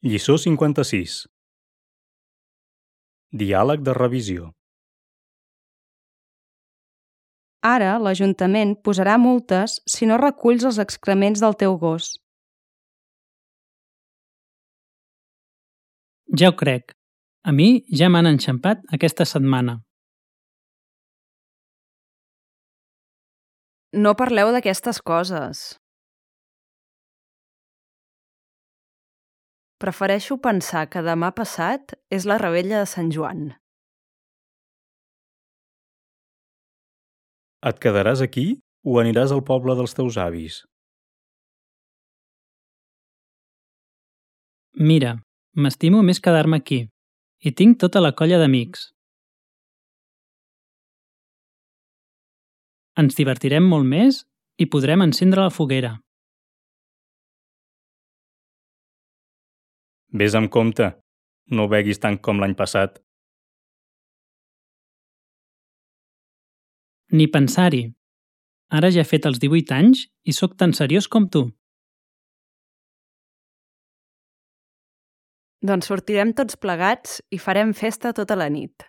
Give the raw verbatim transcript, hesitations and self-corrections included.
Lliçó cinquanta-sis. Diàleg de revisió. Ara l'Ajuntament posarà multes si no reculls els excrements del teu gos. Ja ho crec. A mi ja m'han enxampat aquesta setmana. No parleu d'aquestes coses. Prefereixo pensar que demà passat és la revetlla de Sant Joan. Et quedaràs aquí o aniràs al poble dels teus avis? Mira, m'estimo més quedar-me aquí i tinc tota la colla d'amics. Ens divertirem molt més i podrem encendre la foguera. Ves amb compte, no beguis tant com l'any passat. Ni pensar-hi. Ara ja he fet els divuit anys i sóc tan seriós com tu. Doncs sortirem tots plegats i farem festa tota la nit.